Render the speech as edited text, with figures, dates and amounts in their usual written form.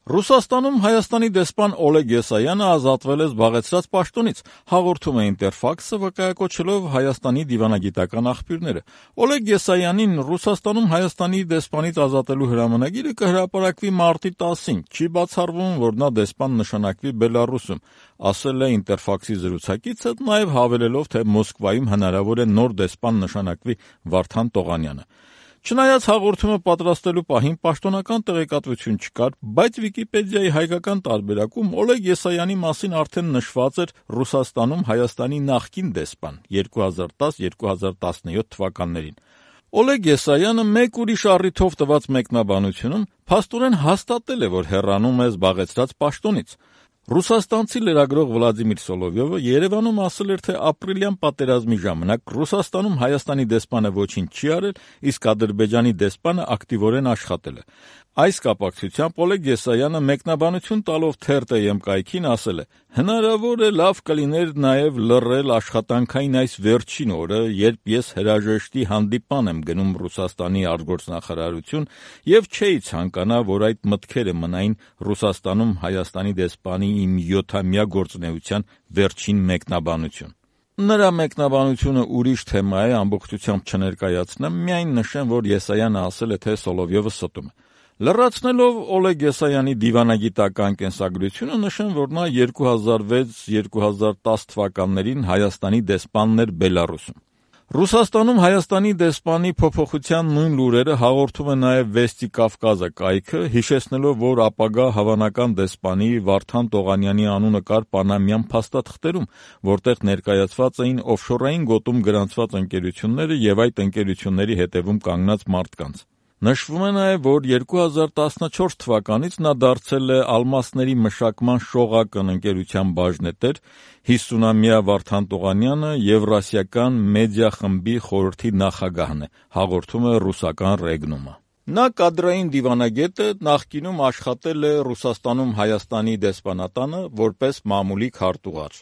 Ռուսաստանում Հայաստանի դեսպան Օլեգ Եսայանը ազատվել է զբաղեցրած պաշտոնից, հաղորդում է Ինտերֆաքսը, վկայակոչելով Հայաստանի դիվանագիտական աղբյուրները։ Օլեգ Եսայանին Ռուսաստանում Հայաստանի դեսպանից ազատելու հրամանագիրը կհրապարակվի մարտի 10-ին, չի բացառվում, որ նա դեսպան նշանակվի Բելարուսում, ասել է Ինտերֆաքսի զրուցակիցը, նաև հավելելով, թե Մոսկվայում հնարավոր է նոր դեսպան նշանակվի Վարդան Տողանյանը։ Չնայած հաղորդումը պատրաստելու պահին պաշտոնական տեղեկատվություն չկար, բայց Վիկիպեդիայի հայկական տարբերակում Օլեգ Եսայանի մասին արդեն նշված էր Ռուսաստանում Հայաստանի նախկին դեսպան 2010-2017 թվականներին։ Օլեգ Եսայանը մեկ ուրիշ առիթով տված մեկնաբանությունում փաստորեն հաստատել է, որ հեռանում է զբաղեցրած պաշտոնից։ Ռուսաստանցի լրագրող Վլադիմիր Սոլովյովը Երևանում ասել էր, թե ապրիլյան պատերազմի ժամանակ Ռուսաստանում Հայաստանի դեսպանը ոչինչ չի արել, իսկ Ադրբեջանի դեսպանը ակտիվորեն աշխատել է։ Այս կապակցությամբ Օլեգ Եսայանը մեկնաբանություն տալով Թերթ.am կայքին ասել է. «Հնարավոր է լավ կլիներ նաև լռել աշխատանքային այս վերջին օրը, երբ ես հրաժեշտի հանդիպան եմ գնում Ռուսաստանի արտգործնախարարություն եւ չէի ցանկանա, որ այդ մտքերը մնային Ռուսաստանում Հայաստանի դեսպանի իմ 7-ամյա գործունեության վերջին մեկնաբանություն»։ Նրա մեկնաբանությունը ուրիշ թեմա է, ամբողջությամբ չներկայացնեմ, միայն նշեմ, որ Եսայանը ասել է, թե Սոլովյովը ստում է։ Լրացնելով Օլեգ Եսայանի դիվանագիտական կենսագրությունը նշեմ, որ նա 2006-2010 թվականներին Հայաստանի դեսպանն էր Բելարուսում։ Ռուսաստանում Հայաստանի դեսպանի փոփոխության նույն լուրերը հաղորդում է նաև Վեստի Կավկազը կայքը, հիշեցնելով, որ ապագա հավանական դեսպանի Վարդան Տողանյանի անունը կար պանամյան փաստաթղթերում, որտեղ ներկայացված էին օֆշորային գոտում գրանցված ընկերությունները եւ այդ ընկերությունների հետևում կանգնած մարդկանց։ Նշվում է նաև, որ 2014 թվականից նա դարձել է ալմասների մշակման Շողակն ընկերության բաժնետեր, 50-ամյա Վարդան Տողանյանը Եվրասիական մեդիա խմբի խորհրդի նախագահն է, հաղորդում է ռուսական Ռեգնումը։ Նա կադրային դիվանագետ է, նախկինում աշխատել է Ռուսաստանում Հայաստանի դեսպանատանը որպես մամուլի քարտուղար։